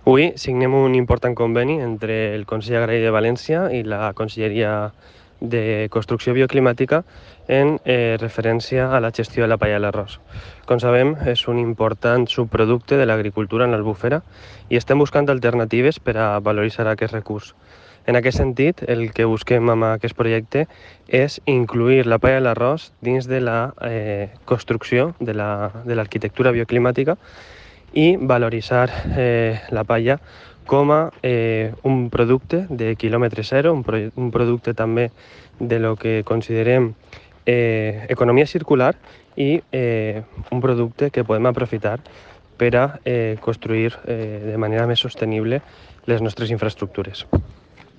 Avui signem un important conveni entre el Consell Agrari de València i la Conselleria de Construcció Bioclimàtica en referència a la gestió de la palla de l'arròs. Com sabem, és un important subproducte de l'agricultura en l'Albufera i estem buscant alternatives per a valoritzar aquest recurs. En aquest sentit, el que busquem amb aquest projecte és incluir la palla de l'arròs dins de la construcció de l'arquitectura bioclimàtica i valoritzar la palla com a un producte de quilòmetre zero, un producte també de lo que considerem economia circular i un producte que podem aprofitar per a construir de manera més sostenible les nostres infraestructures.